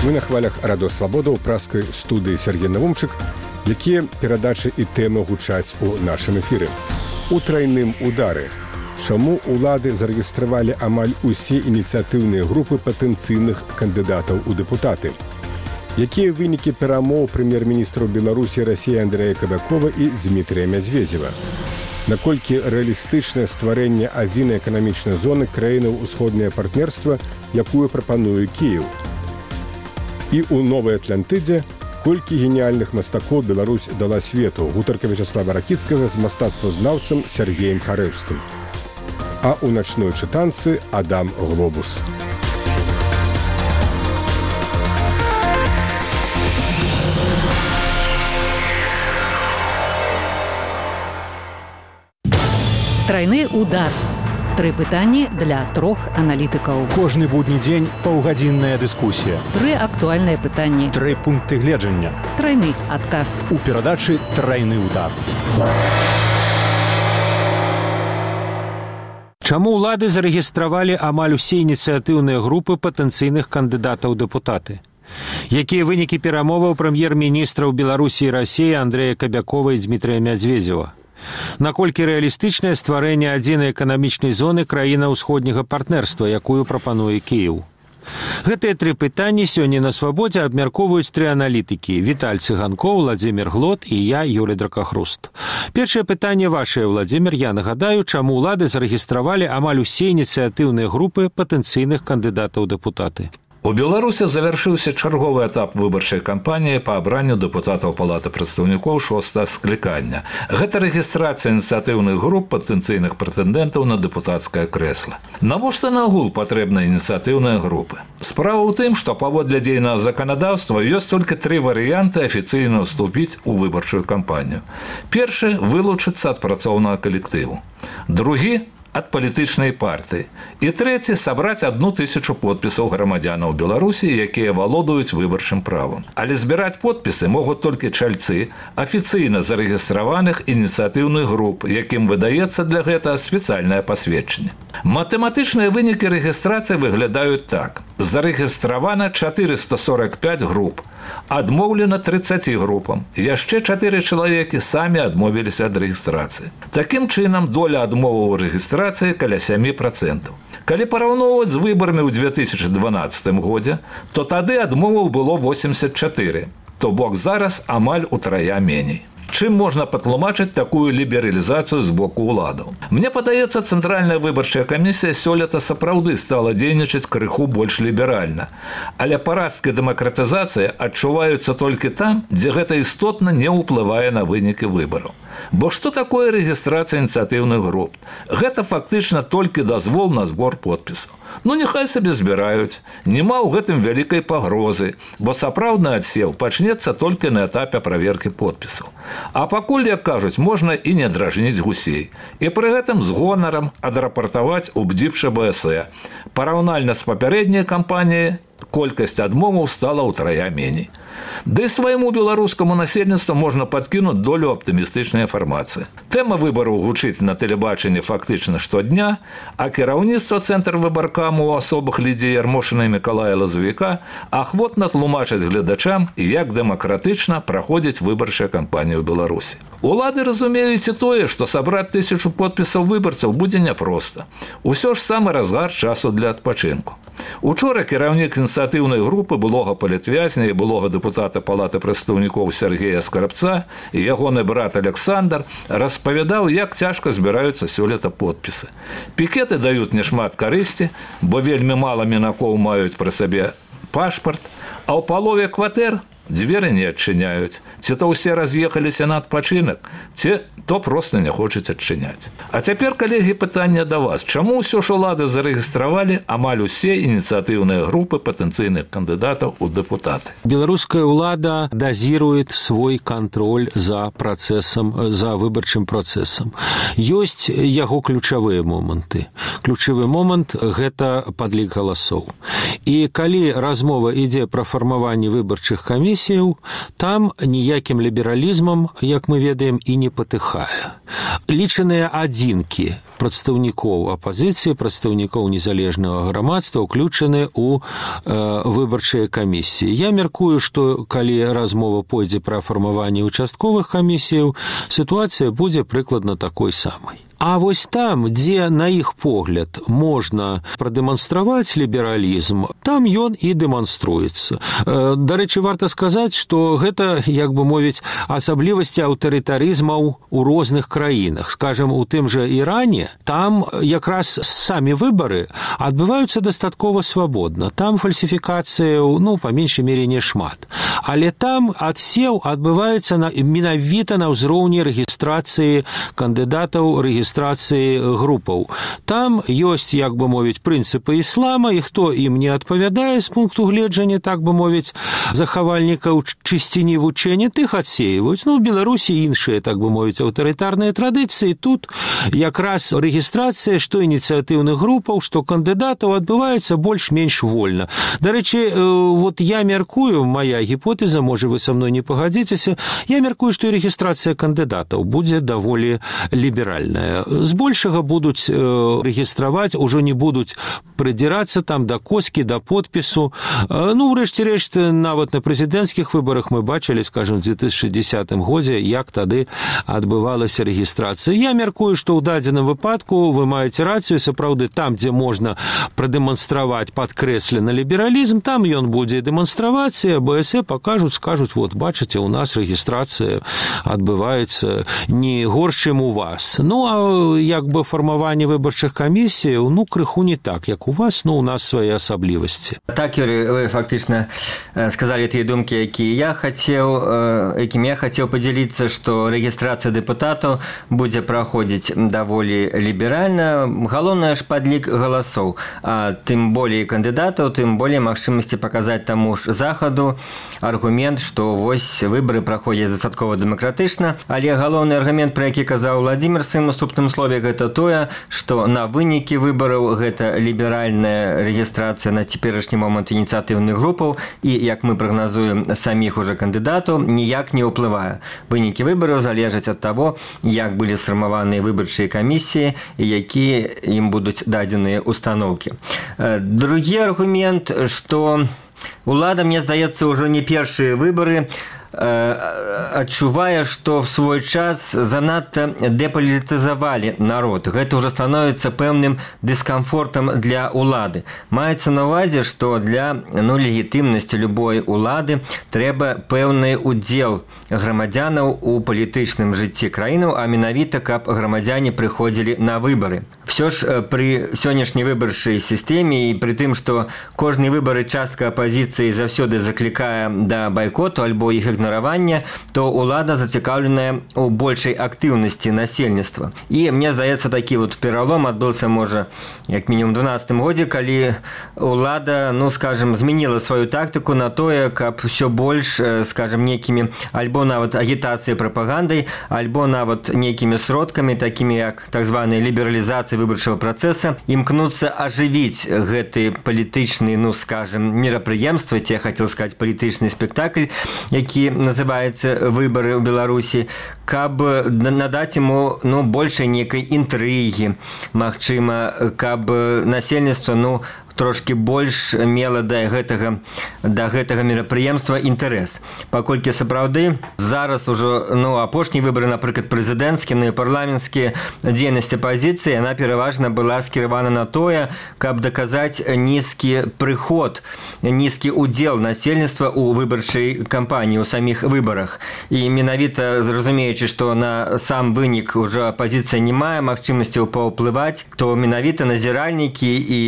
Мы на хвалях Радио Свабода ў праскай студыі Сергей Навумчык, якія перадачы і тэмы гучаць у нашым эфіры. У трайным удары. Чаму улады зарэгістравалі амаль усе ініцыятыўныя групы патэнцыйных кандыдатаў у дэпутаты? Якія вынікі перамоў прэм'ер-міністраў Беларусі і Расіі Андрэя Кабякова і Дмітрія Мядзведзева? Наколькі рэалістычнае стварэнне адзінай эканамічнай зоны краінаў усходняе партнерства, якую прапануе Кіеў? І ў Новай Атлантыдзе колькі геніяльных мастакоў Беларусь дала свету, гутарка Вячаслава Ракіцкага з мастацтвазнаўцам Сергеем Харэвскім. А ў начной чытанцы Адам Глобус. Трайны удар. 3 пытанні для 3 аналітыкаў. Кожны будні дзень паўгадзінная дыскусія. 3 актуальныя пытанні. 3 пункты гледжання. Трайны адказ. У перадачы «Трайны удар». Чаму ўлады зарэгістравалі амаль усе ініцыятыўныя групы патэнцыйных кандыдатаў у дэпутаты? Якія вынікі перамоваў прэм'ер-міністраў Беларусі і Расіі Андрэя Кабякова і Дмітрія Мядзведзева? Наколькі рэалістычнае стварэнне адзінай эканамічнай зоны краіна ўсходняга партнерства, якую прапануе Кіеў? Гэтыя 3 пытанні сёння на Свабодзе абмяркоўваюць 3 аналітыкі: Віталь Цыганкоў, Владзімір Глот і я, Юлі Дракахруст. Першае пытанне вашае, Владзімір. Я нагадаю, чаму ўлады зарэгістравалі амаль усе ініцыятыўныя групы патэнцыйных кандыдатаў у дэпутаты. У Беларусі завяршыўся чарговы этап выбарчай кампаніі па абранню дэпутатаў Палаты прадстаўнікоў 6-го склікання. Гэта рэгістрацыя ініцыятыўных груп патэнцыйных прэтэндэнтаў на дэпутацкае крэсла. Навошта нагул патрэбныя ініцыятыўныя групы? Справа ў тым, што паводле дзейнага заканадаўства ёсць толькі 3 варыянты афіцыйна ўступіць у выбарчую кампанію. Першы – вылучыцца ад працоўнага калектыву. Другі – ад палітычнай партыі. І трэці – сабраць 1000 подпісаў грамадзянаў Беларусі, якія валодаюць выбарчым правам. Але збіраць подпісы могуць толькі чальцы афіцыйна зарэгістраваных ініцыятыўных груп, якім выдаецца для гэтага спецыяльнае пасведчанне. Матэматычныя вынікі рэгістрацыі выглядаюць так. Зарэгістравана 445 груп, адмоўлена 30 групам. Яшчэ 4 чалавекі самі адмовіліся ад рэгістрацыі. Такім чынам, доля адмоваў рэгістрацыі каля 7%. Калі параўноўваць з выбарамі ў 2012 годзе, то тады адмоваў было 84, то бок зараз амаль утрая меней. Чым можна патлумачыць такую лібералізацыю з боку ўладаў? Мне падаецца, Цэнтральная выбарчая камісія сёлета сапраўды стала дзейнічаць крыху больш ліберальна. Але парасткі дэмакратызацыі адчуваюцца толькі там, дзе гэта істотна не ўплывае на вынікі выбараў. Бо што такое рэгістрацыя ініцыятыўных груп? Гэта фактычна толькі дазвол на збор подпісаў. Ну, няхай сабе збіраюць. Нема ў гэтым вялікай пагрозы, бо сапраўдны адсеў пачнецца толькі на этапе праверкі подпісаў. А пакуль, як кажуць, можна і не дражніць гусей. І пры гэтым з гонарам адрапартаваць у БДИП-ШБС. Параўнальна з папярэдняй кампаніяй колькасць адмоваў стала ўтрая меней. Да і свайму беларускаму насельніцтву можна падкінуць долю аптымістычнай інфармацыі. Тэма выбараў гучыць на тэлебачанні фактычна штодня, а кіраўніцтва Цэнтр выбаркаму ў асобах Лідзіі Ярмошына і Мікалая Лазвіка ахвотна тлумачаць гледачам, як дэмакратычна праходзіць выбарчая кампанія ў Беларусі. Улады разумеюць і тое, што сабраць 1000 подпісаў выбарцаў будзе няпроста. Усё ж самы разгар часу для адпачынку. Учора кіраўнік ініцыятыўнай групы былога палітвязня і былога дэпутата Палаты прадстаўнікоў Сергея Скарбца і ягоны брат Александр распавядаў, як цяжка збіраюцца сёлета подпісы. Пікеты даюць няшмат карысці, бо вельмі мала мінакоў маюць пры сабе пашпарт, а ў палове кватэр дзверы не адчыняюць. Ці то ўсе раз'ехаліся на адпачынак, ці то проста не хочуць адчыняць. А цяпер, калегі, пытанне да вас. Чаму ўсё ж улады зарэгістравалі амаль усе ініцыятыўныя групы патэнцыйных кандыдатаў у дэпутаты? Беларуская ўлада дазірует свой кантроль за працэсам, за выбарчым працэсам. Ёсць яго ключавыя моманты. Ключавы момант – гэта падлік галасоў. І калі размова ідзе пра фармаванне выбарчых камісій, камісіяў, там ніякім лібералізмам, як мы ведаем, і не патыхае. Лічаныя адзінкі прадстаўнікоў апазіцыі, прадстаўнікоў незалежнага грамадства ўключаны ў выбарчыя камісіі. Я мяркую, што калі размова пойдзе пра фармаванне участковых камісіяў, сітуацыя будзе прыкладна такой самай. А вось там, дзе, на іх погляд, можна прадэманстраваць лібералізм, там ён і дэманструецца. Дарэчы, варта сказаць, што гэта, як бы мовіць, асаблівасці аўтарытарызмаў у розных краінах. Скажам, у тым жа Іране, там якраз самі выбары адбываюцца дастаткова свабодна. Там фальсіфікацыяў, па меншай мере, не шмат. Але там адсеў адбываецца менавіта на ўзроўні рэгістрацыі кандыдатаў, рэгістрацыі групаў. Там ёсць, як бы мовіць, прынцыпы іслама, і хто ім не адпавядае з пункту гледжання, так бы мовіць, захавальнікаў чысціні вучэння, тых адсеиваюць. У Беларусі іншыя, так бы мовіць, аўтарытарныя традыцыі. Тут якраз рэгістрацыя што ініцыятыўных групаў, што кандыдатаў адбываецца больш-менш вольна. Дарэчы, вот я мяркую, моя гіпотэза, можа вы са мной не пагадзіцеся, я мяркую, што і рэгістрацыя кандыдатаў будзе даволі ліберальная. Збольшага будуць рэгістраваць, ужо не будуць прыдзірацца там да коскі, да подпісу. Урэшце рэшт, нават на прэзідэнцкіх выбарах мы бачылі, скажем, в 2010 годзе, як тады адбывалася рэгістрацыя. Я мяркую, што ў дадзеным выпадку вы маеце рацыю, сапраўды, там, дзе можна прадэманстраваць падкрэслены лібералізм, там ён будзе дэманстраваць, і АБС пакажуць, скажуць, вот, бачыце, у нас рэгістрацыя адбываецца не горш, чым у вас. А як бы фармаванне выбарчых камісіяў, крыху не так, як у вас, у нас свае асаблівасці. Так, Юрий, вы фактычна сказалі тыя думкі, якімі я хацеў падзяліцца, што рэгістрацыя дэпутатаў будзе праходзіць даволі ліберальна. Галоўнае ж падлік галасоў. А тым болей кандыдатаў, тым болей магчымасці паказаць таму ж захаду аргумент, што вось выбары праходзяць дастаткова дэмакратычна, але галоўны аргумент, пра які казаў Владзімир в сваім наступным слове, гэта тое, што на вынікі выбараў гэта ліберальная рэгістрацыя на цяперашні момант ініцыятыўных групаў і, як мы прагназуем, саміх уже кандыдатаў ніяк не ўплывае. Вынікі выбараў залежаць ад таго, як былі сфармаваныя выбарчыя камісіі і якія ім будуць дадзеныя установкі. Другі аргумент, што улада, мне здаецца, ўжо не першыя выбары адчувае, што в свой час занадта дэпалітызавалі народ. Гэта ўжо становіцца пэўным дыскамфортам для улады. Маецца на ўвазе, што для легітымнасці любой улады трэба пэўны удзел грамадзянаў у палітычным жыцці краінаў, а менавіта, каб грамадзяне прыходзілі на выбары. Всё ж пры сённяшняй выбарчай сістэме і пры тым, што кожны выбары частка апазіцыі заўсёды заклікае да байкоту альбо іх ігнаравання, то ўлада зацікаўленая ў большай актыўнасці насельніцтва. І мне здаецца, такі вот пералом адбыўся, можа, як мінімум 12 годзе, калі ўлада, скажем, змяніла сваю тактыку на тое, каб усё больш, скажем, нейкімі альбо нават агітацыяй, прапагандай, альбо нават нейкімі сродкамі, такімі як так званая лібералізацыя выбарчага працэса, імкнуцца ажывіць гэты палітычны, скажем, мерапрыемства, я хацеў сказаць палітычны спектакль, які называецца «Выбары ў Беларусі», каб надаць яму большай нейкай інтрыгі, магчыма, каб насельніцтва трошки больш мела да гэтага мерапрыемства інтарэс. Паколькі сапраўды зараз ужо апошнія выбары, напрыклад, прэзідэнцкія, парламенцкія, дзейнасць апазіцыі, яна пераважна была скіравана на тое, каб даказаць нізкі прыход, нізкі удзел насельніцтва ў выбарчай кампаніі, у саміх выбарах. І менавіта, зразумеючы, што на сам вынік ужо апазіцыя не мае магчымасцяў паўплываць, то менавіта назіральнікі і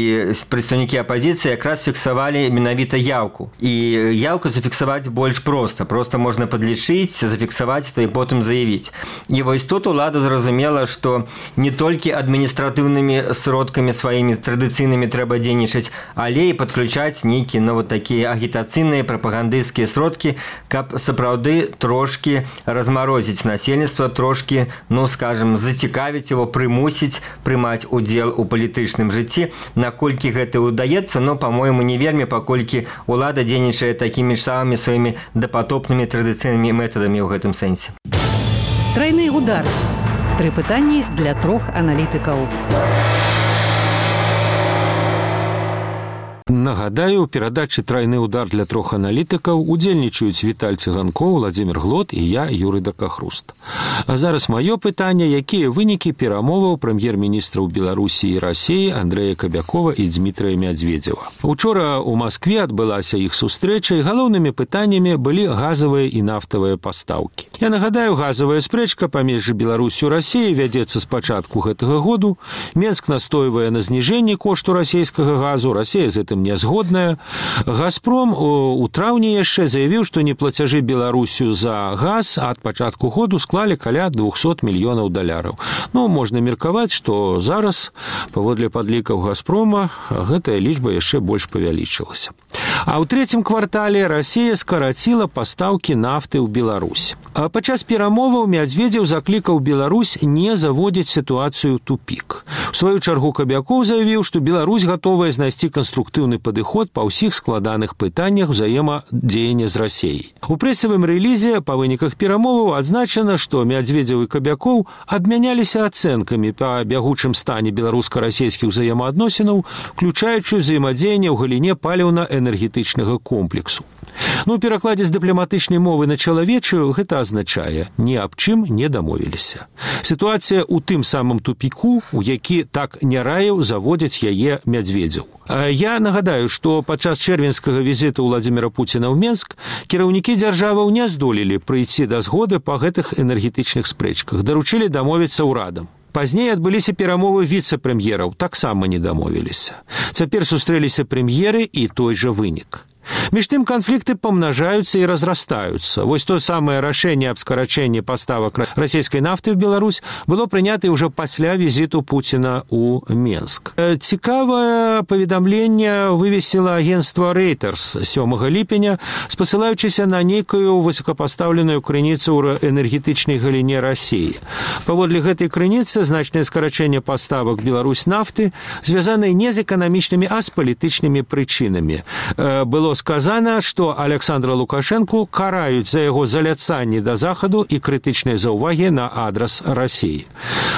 прадстаўнікі апозіцыі якраз фіксавалі менавіта яўку. І яўку зафіксаваць больш проста. Проста можна падлічыць, зафіксаваць і потым заявіць. І вось тут улада зразумела, што не толькі адміністратыўнымі сродкамі сваімі традыцыйнымі трэба дзейнічаць, але і падключаць нейкія такія агітацыйныя прапагандысцкія сродкі, каб сапраўды трошкі размарозіць насельніцтва, трошкі, скажем, зацікавіць яго, прымусіць прымаць удзел у палітычным жыцці, наколькі гэты удаецца, но, по-моему, не вельмі, паколькі ўлада дзейнічае такімі ж самымі сваімі дапатопнымі традыцыйнымі метадамі ў гэтым сэнсе. Трайны удар. 3 пытанні для 3 аналітыкаў. Нагадаю, у перадачы «Трайны удар» для 3 аналітыкаў удзельнічаюць Віталь Цыганкоў, Владзімір Глот і я, Юрый Дакахруст. А зараз маё пытанне, якія вынікі перамоваў прэм'ер-міністраў Беларусі і Расіі Андрэя Кабякова і Дзмітрыя Мядзведзева. Учора ў Маскве адбылася іх сустрэча, і галоўнымі пытаннямі былі газавыя і нафтавыя пастаўкі. Я нагадаю, газавая спрэчка паміж Беларусю і Расіяй вядзецца з пачатку гэтага году. Менск настойвае на зніжэнні кошту расійскага газу, Расія з гэтым не згодная. «Газпром» у траўні яшчэ заявіў, што неплацяжы Беларусю за газ ад пачатку году склалі каля $200 мільёнаў. Ну, можна меркаваць, што зараз, паводле падлікаў «Газпрома», гэтая лічба яшчэ больш павялічылася. А ў 3-м квартале Расія скараціла пастаўкі нафты ў Беларусь. А падчас перамоваў Мядзведзеў заклікаў Беларусь не заводзіць сітуацыю ў тупік. У сваю чаргу Кабякоў заявіў, што Беларусь гатовая знайсці канструктыўны падыход па ўсіх складаных пытаннях узаемадзеяння з Расіяй. У прэсавым рэлізе па выніках перамоваў адзначана, што Мядзведзеў і Кабякоў абмяняліся ацэнкамі па бягучым стане беларуска-расійскіх узаемаадносінаў, включаючы ўзаемадзеянне ў галіне паліўна-энергетычнага комплексу. Ну, у перакладзе з дыпламатычнай мовы на чалавечую гэта азначае «ні аб чым не дамовіліся». Сітуацыя ў тым самым тупіку, у які так не раіў заводзіць яе Мядзведзеў. Я нагадаю, што падчас чэрвеньскага візіту Владзіміра Пуціна ў Менск кіраўнікі дзяржаваў не здолелі прыйсці да згоды па гэтых энергетычных спрэчках, даручылі дамовіцца ўрадам. Пазней адбыліся перамовы віцэ-прэм'ераў, таксама не дамовіліся. Цяпер сустрэліся прэм'еры і той жа вынік. Між тым канфлікты памнажаюцца і разрастаюцца. Вось то самае рашэнне аб скарачэнні паставак расійскай нафты ў Беларусь было прынята ўжо пасля візіту Пуціна ў Менск. Цікавае паведамленне вывесіла агенцтва Reuters 7 ліпеня, спасылаючыся на нейкую высокапастаўленую крыніцу ў энергетычнай галіне Расіі. Паводле гэтай крыніцы значнае скарачэнне паставак Беларусь нафты звязанае не з эканамічнымі, а з палітычнымі прычынамі. Было сказана, што Александра Лукашэнку караюць за яго заляцанне да Захаду і крытычныя заўвагі на адрас Расіі.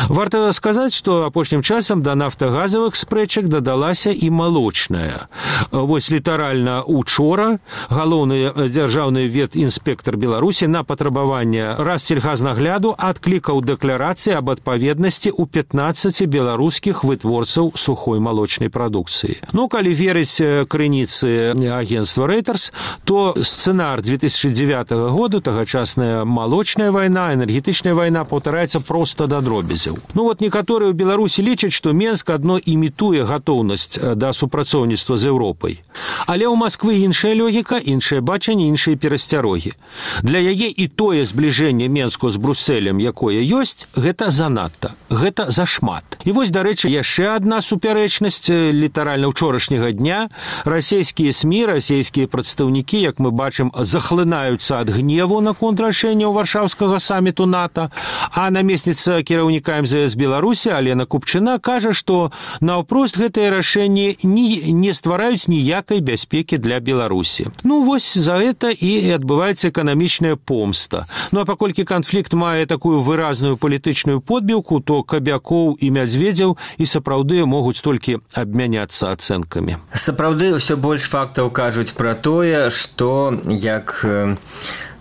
Варта сказаць, што апошнім часам да нафтагазавых спрэчак дадалася і малочная. Вось літаральна учора галоўны дзяржаўны ветінспектар Беларусі на патрабаванне Рассельгазнагляду адклікаў дэкларацыі аб адпаведнасці ў 15 беларускіх вытворцаў сухой малочнай прадукцыі. Ну, калі верыць крыніцы агентства Reuters, то сцэнар 2009 года, тагачасная малочная вайна, энергетычная вайна паўтараецца проста да дробязяў. Ну вот некаторыя ў Беларусі лічаць, што Менск адно імітуе гатоўнасць да супрацоўніцтва з Еўропай. Але ў Масквы іншая логіка, іншае бачанне, іншыя перасцярогі. Для яе і тое збліжэнне Менску з Брусэлем, якое ёсць, гэта занадта, гэта зашмат. І вось, дарэчы, яшчэ адна супярэчнасць літаральна ўчорашняга дня. Расійскія СМІ, расійскія прадстаўнікі, як мы бачым, захлынаюцца ад гневу наконт рашэнняў варшаўскага саміту НАТО, а намесніца кіраўніка МЗС Беларусі Алена Купчына кажа, што наўпрост гэтыя рашэнні не ствараюць ніякай бяспекі для Беларусі. Ну, вось за гэта і адбываецца эканамічная помста. Ну, а паколькі канфлікт мае такую выразную палітычную подбіўку, то Кабякоў і Мядзведзеў і сапраўды могуць толькі абмяняцца ацэнкамі. Сапраўды ўсё больш фактаў кажуць пра тое, што як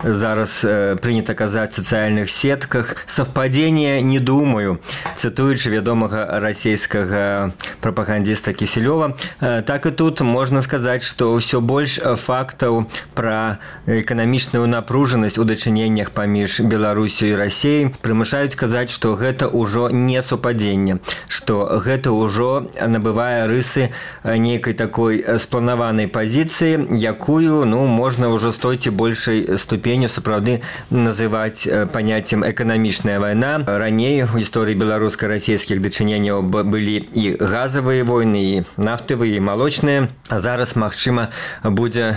зараз прынята казаць в сацыяльных сетках, совпадение не думаю, цытуючы вядомага расійскага прапагандіста Кісельова. Так і тут можна сказаць, што ўсё больш фактаў пра эканамічную напружанасць у дачыненнях паміж Беларусю і Расіяй прымушаюць казаць, што гэта ўжо не супадзенне, што гэта ўжо набывае рысы нейкай такой спланаванай пазіцыі, якую, ну, можна ўжо з той ці большай ступені ступенью сапраўды называць паняццем эканамічная вайна. Раней у гісторыі беларуска-расійскіх дачыненняў былі і газавыя войны, і нафтавыя, і малочныя. А зараз, магчыма, будзе,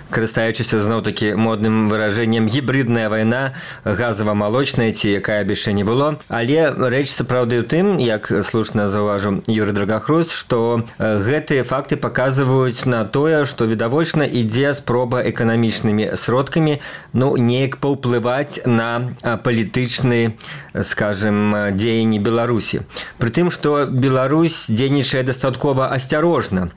карыстаючыся зноў-такі модным выражэннем, гібридная вайна, газава-малочная, ці якая б яшчэ не было. Але рэч сапраўды ў тым, як слушна заўважыў Юрый Драгахрус, што гэтыя факты паказваюць на тое, што відавочна ідзе спроба эканамічнымі сродкамі неяк паўплываць на палітычныя, скажем, дзеянні Беларусі. Пры тым, што Беларусь дзейнічае дастаткова асцярожна.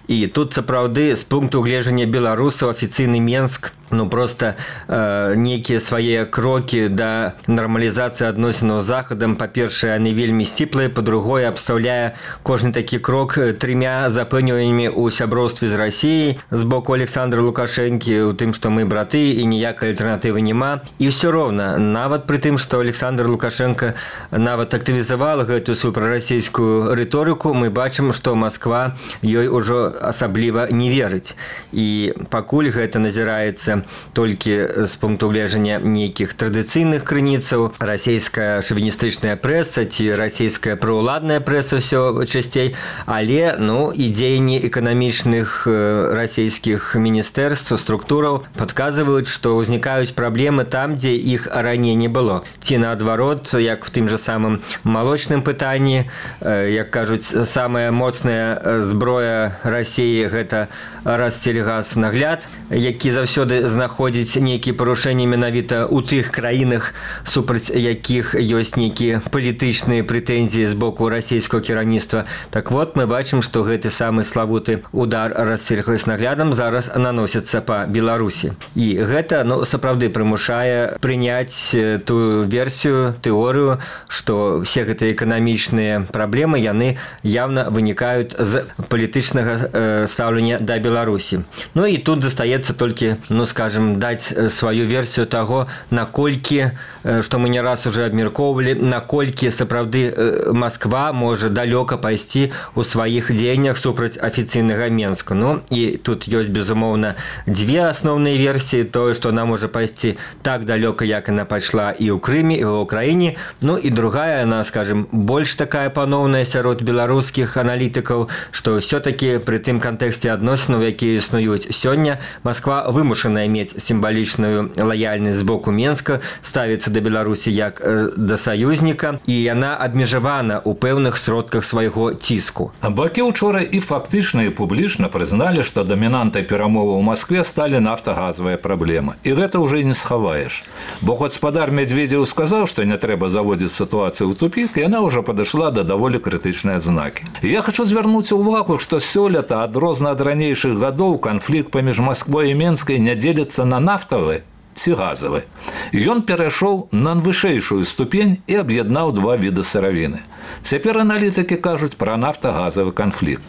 І тут сапраўды з пункту гледжання беларусаў афіцыйны Менск просто нейкія свае крокі да нармалізацыі адносінаў з захадам, па-першае, яны вельмі сціплыя, па-другое, абстаўляе кожны такі крок 3 запэўненнямі ў сяброўстве з Расіяй з боку Александра Лукашэнкі, у тым, што мы браты і ніякай альтэрнатывы няма. І ўсё роўна, нават пры тым, што Александр Лукашенко нават актывізавала гэтую сваю прарасійскую рыторыку, мы бачым, што Масква ёй ужо асабліва не верыць. І пакуль гэта назіраецца толькі з пункту гледжання нейкіх традыцыйных крыніцаў, расійская шавіністычная прэса ці расійская праўладная прэса ўсё часцей, але і дзеянні эканамічных расійскіх міністэрств, структураў падказваюць, што ўзнікаюць праблемы там, дзе іх раней не было. Ці наадварот, як в тым жа самым малочным пытанні, як кажуць, самая моцная зброя Расіі гэта Рассельгаснагляд, які заўсёды знаходзіць нейкія парушэнні менавіта ў тых краінах, супраць якіх ёсць нейкія палітычныя прэтэнзіі з боку расійскага кіраўніцтва. Так вот, мы бачым, што гэты самы славуты удар Рассельгаснаглядам зараз наносіцца па Беларусі. І гэта, сапраўды прымушае прыняць тую версію, тэорыю, што все гэтыя эканамічныя праблемы, яны явна вынікаюць з палітычнага стаўлення да Беларусі. І тут застаецца толькі, скажем, даць сваю версію таго, наколькі, што мы не раз уже абмяркоўвалі, наколькі сапраўды Масква можа далёка пайсці ў сваіх дзеяннях супраць афіцыйнага Менска. І тут ёсць, безумоўна, дзве асноўныя версіі, тое, што она можа пайсці так далёка, як яна пайшла і ў Крыме, і ў Украіне. І другая, она, скажем, больш такая паноўная сярод беларускіх аналітыкаў, што ўсё-такі пры тым кантэксце адносінаў, якія існуюць сёння, Масква вымушаная мець сімвалічную лаяльнасць з боку Менска, ставіцца да Беларусі як да саюзніка, і яна абмежавана ў пэўных сродках свайго ціску. Бакі учора і фактычна, і публічна прызналі, што дамінантай перамоваў у Маскве сталі нафтагазавыя праблемы. І гэта ўжо не схаваеш. Бо гаспадар Медведзеў сказаў, што не трэба заводзіць сітуацыю ў тупік, яна ўжо падышла да даволі крытычныя знакі. Я хочу звярнуць увагу, што сёлета, адрозна ад ранейшых гадоў, канфлікт паміж Масквой і Менскай не дзеліцца на нафтавы ці газавы. Ён перайшоў на вышэйшую ступень і аб'яднаў два віды сыравіны. Цяпер аналітыкі кажуць пра нафтагазавы канфлікт.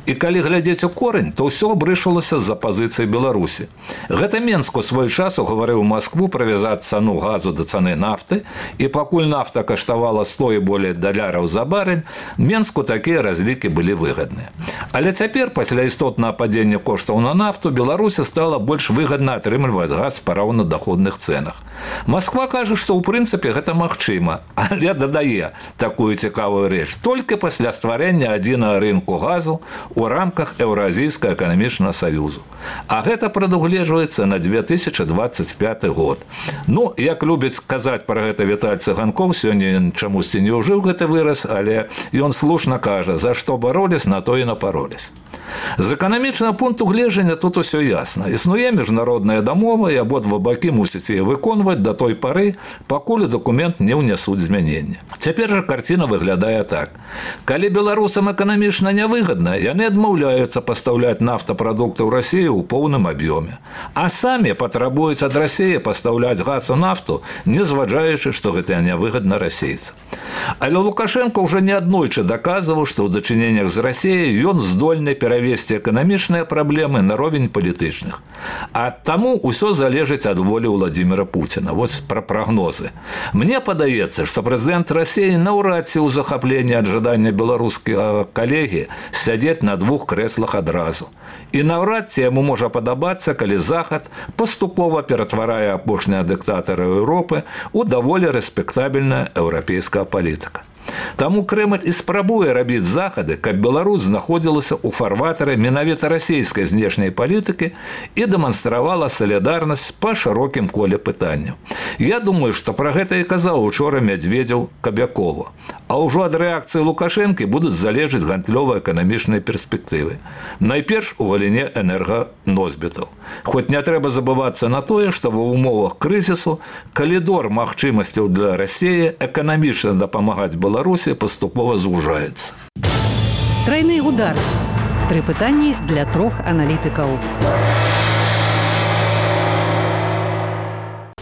І калі глядзець у корань, то ўсё абрышалася з-за пазіцыі Беларусі. Гэта Менск у свой час угаварыў Маскву правязаць цану газу да цаны нафты, і пакуль нафта каштавала 100 і болей даляраў за барэль, Менску такія разлікі былі выгадныя. Але цяпер, пасля істотнага падзення коштаў на нафту, Беларусі стала больш выгадна атрымліваць газ па раўнадаходных цэнах. Масква кажа, што ў прынцыпе гэта магчыма, але дадае такую цікавую рэч. Толькі пасля стварэння адзінага рынку газу у рамках Еўразійскага эканамічнага саюзу. А гэта прадугледжваецца на 2025 год. Як любіць казаць пра гэта Віталь Цыганкоў, сёння чамусьці не ўжыў гэты выраз, але ён слушна кажа, за што бароліс, на то і напароліс. З эканамічнага пункту гледжання тут усё ясна. Існуе міжнародная дамова, і абодва бакі мусяць яе выконваць да той пары, пакуль дакумент не ўнясуць змянення. Цяпер жа карціна выглядае так. Калі беларусам эканамічна нявыгадна, яны адмаўляюцца пастаўляць нафтапрадукты ў Расію ў поўным аб'ёме. А самі патрабуюць ад Расіі пастаўляць газ у нафту, не зважаючы, што гэта нявыгадна расейцам. Але Лукашенко ўжо неаднойчы даказваў, што ў дачыненнях з Расіяй ён здольны перавесці перавесці эканамічныя праблемы на ровень палітычных. А таму ўсё залежыць ад волі Владимира Путина. Вот пра прагнозы. Мне падаецца, што прэзідэнт Расіі наўрад ці ў захапленні ад жадання беларускага калегі сядзець на двух крэслах адразу. І наўрад ці яму можа падабацца, калі Захад паступова ператварае апошнія дыктатары Еўропы ў даволі рэспектабельная еўрапейская палітыка. Таму Крэмль і спрабуе рабіць захады, каб Беларусь знаходзілася ў фарватары менавіта расійскай знешняй палітыкі і дэманстравала салідарнасць па шырокім коле пытанняў. Я думаю, што пра гэта і казаў учора Мядзведзеў Кабякову. А ўжо ад рэакцыі Лукашэнкі будуць залежыць гандлёва-эканамічныя перспектывы. Найперш у галіне энерганосьбітаў. Хоць не трэба забывацца на тое, што ва ўмовах крызісу калідор магчымасцяў для Расіі эканамічна дапамагаць Беларусі паступова звужаецца. Трайны удар. 3 пытанні для 3 аналітыкаў.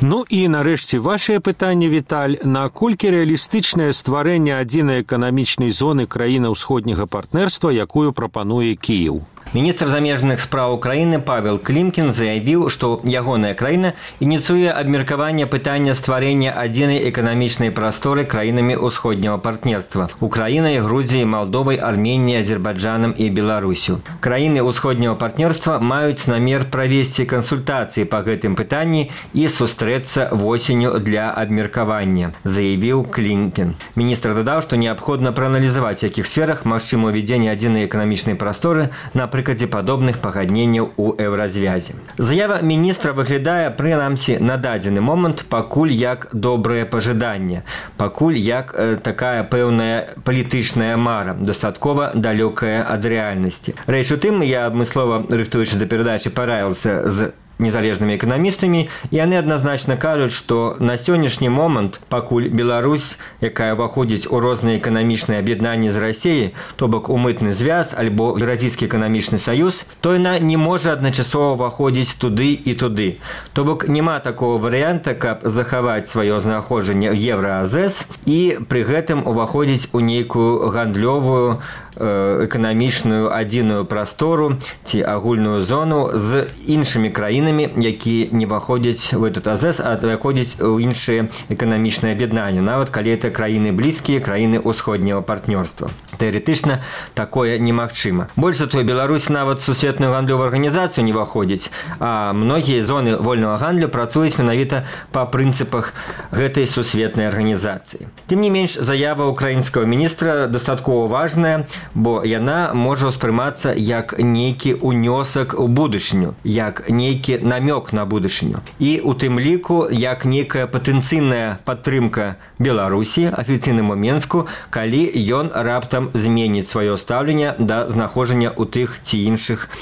Ну і нарэшце вашае пытанне, Віталь, наколькі рэалістычнае стварэнне адзінай эканамічнай зоны краіны ўсходняга партнерства, якую прапануе Кіеў? Міністр замежных спраў Украіны Павел Клімкін заявіў, што ягоная краіна ініцыюе абмеркаванне пытання стварэння адзінай эканамічнай прасторы краінамі ўсходняга партнерства – Украінай, Грузіяй, Малдовай, Арменіяй, Азербайджанам і Беларусю. Краіны ўсходняга партнерства маюць намер правесці кансультацыі па гэтым пытанні і сустрэцца восенню для абмеркавання, заявіў Клімкін. Міністр дадаў, што неабходна прааналізаваць, якіх сферах магчыма ўвядзенне адзінай эканамічнай прасторы на прыкладзе падобных пагадненняў у еўразвязе. Заява міністра выглядае, прынамсі, на дадзены момант пакуль як добрае пажаданне, пакуль як такая пэўная палітычная мара, дастаткова далёкая ад рэальнасці. Рэч у тым, я адмыслова, рыхтуючы да перадачы, параілася з незалежнымі эканамістамі, і яны адназначна кажуць, што на сённяшні момант, пакуль Беларусь, якая ўваходзіць у розныя эканамічныя аб'яднанні з Расіяй, то бок у мытны звяз альбо Еўразійскі эканамічны саюз, то яна не можа адначасова ўваходзіць туды і туды. То бок няма такого варыянта, каб захаваць сваё знаходжанне ў Еўраазэс і пры гэтым уваходзіць у нейкую гандлёвую эканамічную адзіную прастору ці агульную зону з іншымі краінамі, якія не ўваходзяць у этот АЗЭС, а выходзяць у іншыя эканамічныя аб'яднанні, нават калі это краіны блізкія, краіны ўсходняга партнёрства. Тэарэтычна такое немагчыма. Больш за тое, Беларусь нават сусветную гандлёвую арганізацыю не ўваходзіць, а многія зоны вольнага гандлю працуюць менавіта па прынцыпах гэтай сусветнай арганізацыі. Тым не менш, заява украінскага міністра дастаткова важная, бо яна можа ўспрымацца як нейкі ўнёсак у будучыню, як нейкі намёк на будучыню. І у тым ліку, як нейкая патэнцыйная падтрымка Беларусі афіцыйнаму Менску, калі ён раптам зменіць сваё стаўленне да знаходжання ў тых ці іншых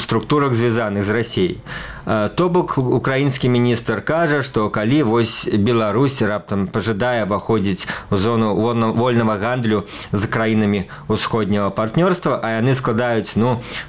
структурах, звязаных з Расіяй. То бок, украінскі міністр кажа, што калі вось Беларусь раптам пажадае ўваходзіць у зону вольнага гандлю з краінамі ўсходняга партнёрства, а яны складаюць,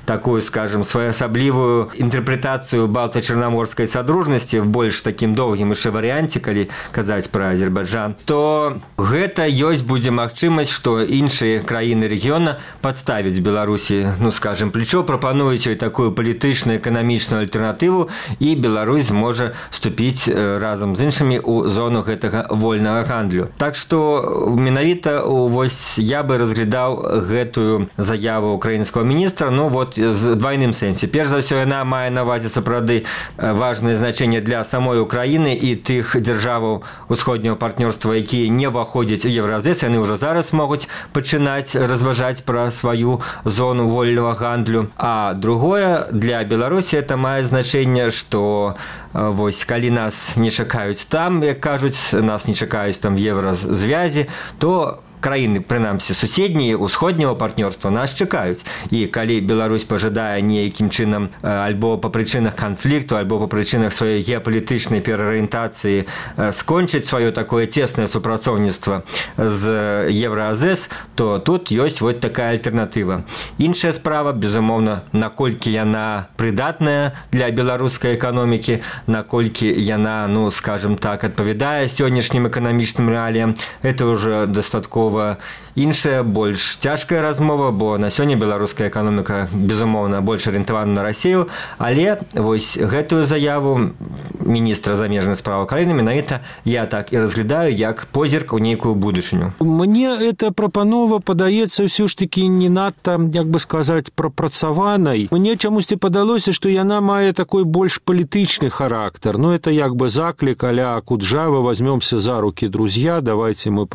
такую, скажем, своеасаблівую інтэрпрэтацыю балта-чарнаморскай садружнасці в больш такім доўгім яшчэ варыянце, калі казаць пра Азербайджан, то гэта ёсць будзе магчымасць, што іншыя краіны рэгіёна падставяць Беларусі, скажем, плечо, прапануюць ёй такую палітычную эканамічную альтэрнатыву, і Беларусь можа вступіць разам з іншымі ў зону гэтага вольнага гандлю. Так што менавіта вось я бы разглядаў гэтую заяву украінскага міністра з двайным сэнсе. Перш за ўсё, яна мае на ўвазе сапраўды важнае значэнне для самой Украіны і тых дзяржаваў усходняга партнёрства, якія не ўваходзяць у Еўразэс, яны ўжо зараз могуць пачынаць разважаць пра сваю зону вольнага гандлю. А другое, для Беларусі это мае значэнне, што вось калі нас не чакаюць там, як кажуць, нас не чакаюць там в Еўразвязе, то краіны, прынамсі, суседнія ўсходняга партнёрства нас чакаюць. І калі Беларусь пажадае нейкім чынам альбо па прычынах канфлікту, альбо па прычынах сваёй геапалітычнай перарыентацыі скончыць сваё такое цеснае супрацоўніцтва з Еўраазэс, то тут ёсць вот такая альтэрнатыва. Іншая справа, безумоўна, наколькі яна прыдатная для беларускай эканомікі, наколькі яна, скажем так, адпавядае сённяшнім эканамічным рэаліям, это ўжо дастаткова размова іншая, больш цяжкая размова, бо на сёння беларуская эканоміка, безумоўна, больш арыентавана на Расію, але вось гэтую заяву міністра замежных справ Украіны менавіта я так і разглядаю як позірк у нейкую будучыню. Мне эта прапанова падаецца ўсё ж такі не надта, як бы сказаць, прапрацаванай. Мне чамусьці падалося, што яна мае такой больш палітычны характар. Ну, это як бы заклік а-ля Куджава, возьмемся за руки, друзья, давайте мы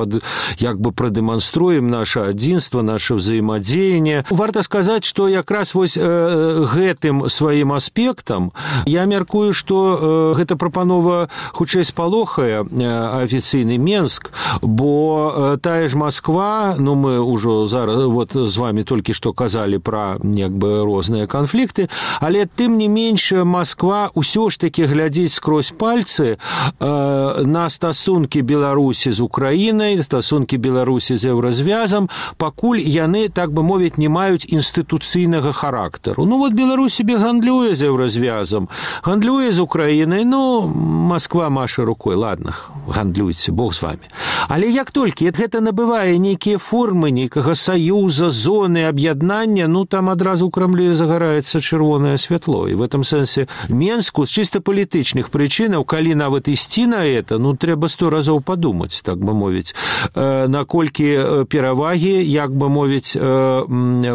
як бы продемонструем наше адзінства, наше взаимодзеяние. Варта сказаць, што якраз вось гэтым сваім аспектам я мяркую, што гэта прапанова хутчэй спалохае афіцыйны Менск, бо тая ж Москва, ну мы ўжо зараз вот з вами толькі што казалі пра як бы розныя канфлікты, але тым не менш Москва ўсё ж такі глядзіць скрозь пальцы на стасункі Беларусі з Украінай, стасункі Беларусі з Еўразвязам, пакуль яны, так бы мовіць, не маюць інстытуцыйнага характару. Ну вот Беларусь себе гандлюе з Еўразвязам, гандлюе з Украінай, ну Москва маша рукой, ладно, гандлюйце, Бог з вами. Але як толькі гэта набывае нейкія формы нейкага саюза, зоны, аб'яднання, ну там адразу ў Крамлі загараецца чырвонае святло. І в этом сэнсе Менску з чыста палітычных прычынаў, калі нават ісці на это, ну трэба 100 разоў падумаць, так бы мовіць, наколькі перавагі, як бы мовіць,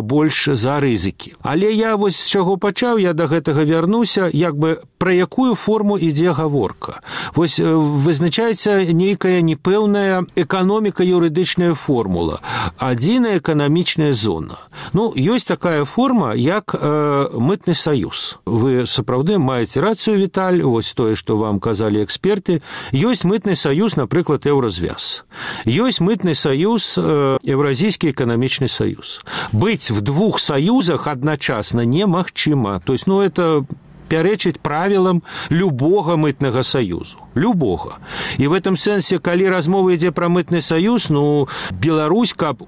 больш за рызыкі. Але я вось з чаго пачаў, я да гэтага вярнуся, як бы пра якую форму ідзе гаворка. Вось вызначаецца нейкая непэўная эканоміка-юрыдычная формула, адзіная эканамічная зона. Ну, ёсць такая форма, як мытны саюз. Вы сапраўды маеце рацыю, Віталь, вось тое, што вам казалі эксперты. Ёсць мытны саюз, напрыклад, Еўразвяз. Ёсць мытны саюз, Еўразійскі эканамічны саюз. Быць в двух саюзах адначасна немагчыма. То есть, ну, это пярэчыць правілам любога мытнага саюзу. Любога. І в этом сэнсе, калі размова ідзе пра мытны саюз, ну, Беларусь, каб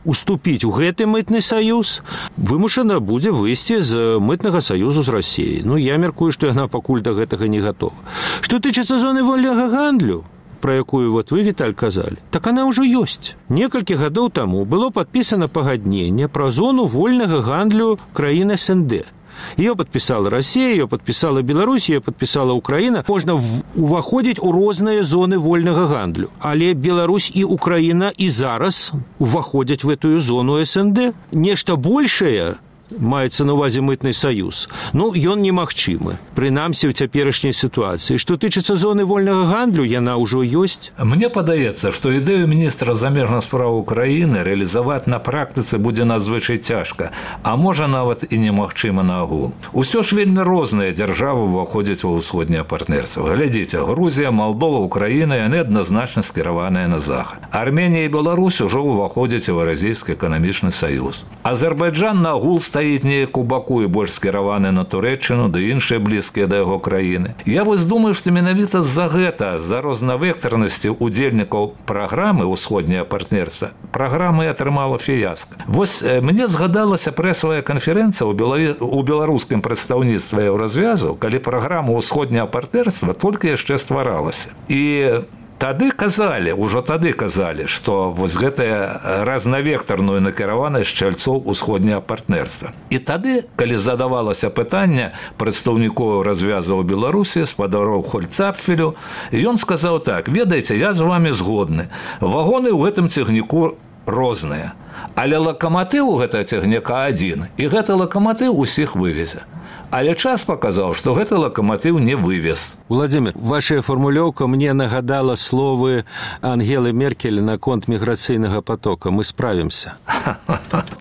уступіць у гэты мытны саюз, вымушана будзе выйсці з мытнага саюзу з Расіяй. Ну, я мяркую, што яна пакуль да гэтага не гатова. Што тычыцца зоны вольнага гандлю, про якую вот вы, Віталь, казалі, так она ўжо ёсць. Некалькі гадоў таму было падпісана пагадненне пра зону вольнага гандлю краін СНД. Ее подписала Россия, ее подписала Беларусь, ее подписала Украина. Можно уваходить у розныя зоны вольнага гандлю. Але Беларусь и Украина и зараз уваходят в эту зону СНД. Нешта большее маецца на ўвазе мытны саюз, ну, ён немагчымы, прынамсі ў цяперашняй сітуацыі. Што тычыцца зоны вольнага гандлю, яна ўжо ёсць. Мне падаецца, што ідэю міністра замежных справ Украіны рэалізаваць на практыцы будзе надзвычай цяжка, а можа нават і немагчыма наогул. Усё ж вельмі розныя дзяржавы ўваходзяць ва ўсходняе партнерства. Глядзіце, Грузія, Малдова, Украіна, яны адназначна скіраваныя на захад. Арменія і Беларусь ужо ўваходзяць у Еўразійскі эканамічны саюз. Азербайджан наогул стаіць неяк у баку і больш скіраваны на Турэччыну, ды іншыя блізкія да яго краіны. Я вось думаю, што менавіта з-за гэта, з-за рознавектарнасці удзельнікаў праграмы «Усходняе партнерства», праграма і атрымала фіяска. Вось мне згадалася прэсавая канферэнцыя ў беларускім прадстаўніцтве Еўразвязу, калі праграма «Усходняе партнерства» толькі яшчэ стваралася. І Ужо тады казалі, што вось гэтая разнавектарную накіраванасць шчальцоў усходняе партнерства. І тады, калі задавалася пытанне прадстаўнікоў развязаў Беларусі, спадароў Хольцапфелю, ён сказаў так: ведаеце, я з вами згодны. Вагоны ў гэтым цягніку розныя, але лакаматыў у гэтага цягніка адзін, і гэты лакаматыў усіх вывезе. Але час паказаў, што гэты лакаматыў не вывез. Владимир, ваша формулёўка мне нагадала словы Ангелы Меркель наконт міграцыйнага потока. Мы справімся.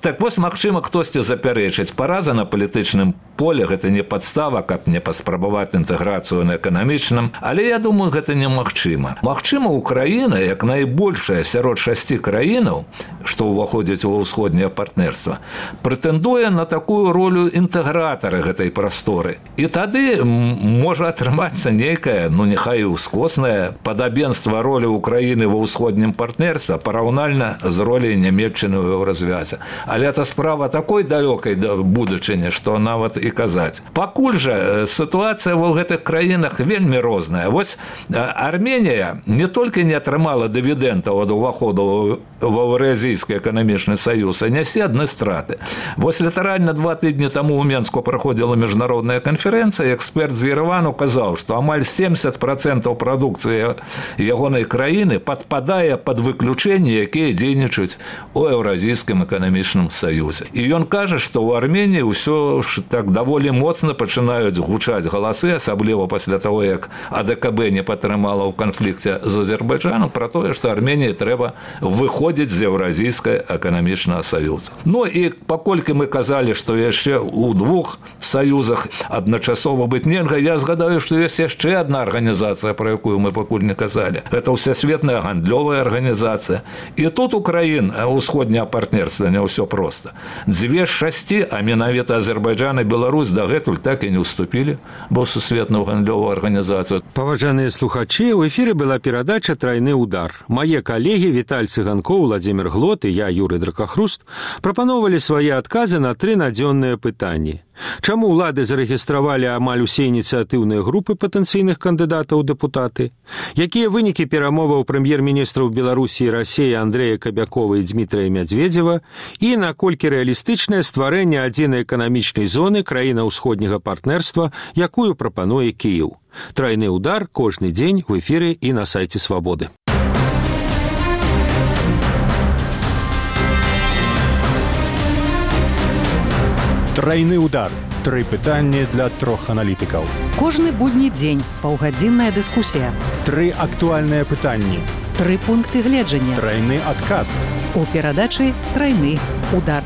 Так вось, магчыма, хтосьці запярэчыць. Параза на палітычным поле – гэта не падстава, каб не паспрабаваць інтэграцыю на эканамічным. Але я думаю, гэта немагчыма. Магчыма, Украіна, як найбольшая сярод 6 краінаў, што ўваходзяць ва ўсходняе партнерства, прэтэндуе на такую ролю інтэгратара гэтай прасторы. І тады можа атрымацца нейкае, ну няхай ускоснае падабенства ролі Украіны ва ўсходнім партнерстве параўнальна з роляй Нямецчыны ў Еўразвязе. Але это справа такой далёкай будучыні, што нават і казаць. Пакуль жа сітуацыя ва гэтых краінах вельмі розная. Вось Арменія не толькі не атрымала дывідэнтаў ад уваходу в Еўразійскі эканамічны саюз, а нясе адны страты. Вось літаральна 2 тыдні таму ў Менску праходзіла міжнародная канферэнцыя, эксперт з Еревану казаў, што амаль 70% прадукцыі ягонай краіны падпадае пад выключэнні, якія дзейнічаюць у Еўразійскім эканамічным саюзе. І ён кажа, што ў Арменіі ўсё ж так даволі моцна пачынаюць гучаць галасы, асабліва пасля таго, як АДКБ не падтрымала ў канфлікце з Азербайджанам, пра тое, што Арменіі трэба выходзіць з Еўразійскага эканамічнага саюза. Ну і паколькі мы казалі, што яшчэ ў 2 саюзах адначасова быць нельга, я згадаю, што ёсць яшчэ адна арганізацыя, пра якую мы пакуль не казалі. Гэта ўсесветная гандлёвая арганізацыя. І тут у краін усходняга партнерства не ўсё проста. 2 з 6, а менавіта Азербайджан і Беларусь дагэтуль так і не ўступілі ва сусветную гандлёвую арганізацыю. Паважаныя слухачы, у эфіры была перадача «Трайны удар». Мае калегі Віталь Цыганкоў, Владзімір Глот і я, Юрый Дракахруст, прапановалі свае адказы на 3 надзённыя пытанні. Чаму ўлады зарэгістравалі амаль усе ініцыятыўныя групы патэнцыйных кандыдатаў у дэпутаты? Якія вынікі перамоваў прэм'ер-міністраў Беларусі і Расіі Андрэя Кабякова і Дмітрая Мядзведзева? І наколькі рэалістычнае стварэнне адзінай эканамічнай зоны краіна ўсходняга партнерства, якую прапануе Кіеў? «Трайны удар» кожны дзень в эфіры і на сайце Свабоды. Трайны удар. 3 пытанні для 3 аналітыкаў. Кожны будні дзень паўгадзінная дыскусія. 3 актуальныя пытанні. 3 пункты гледжання. Трайны адказ. У перадачы «Трайны удар».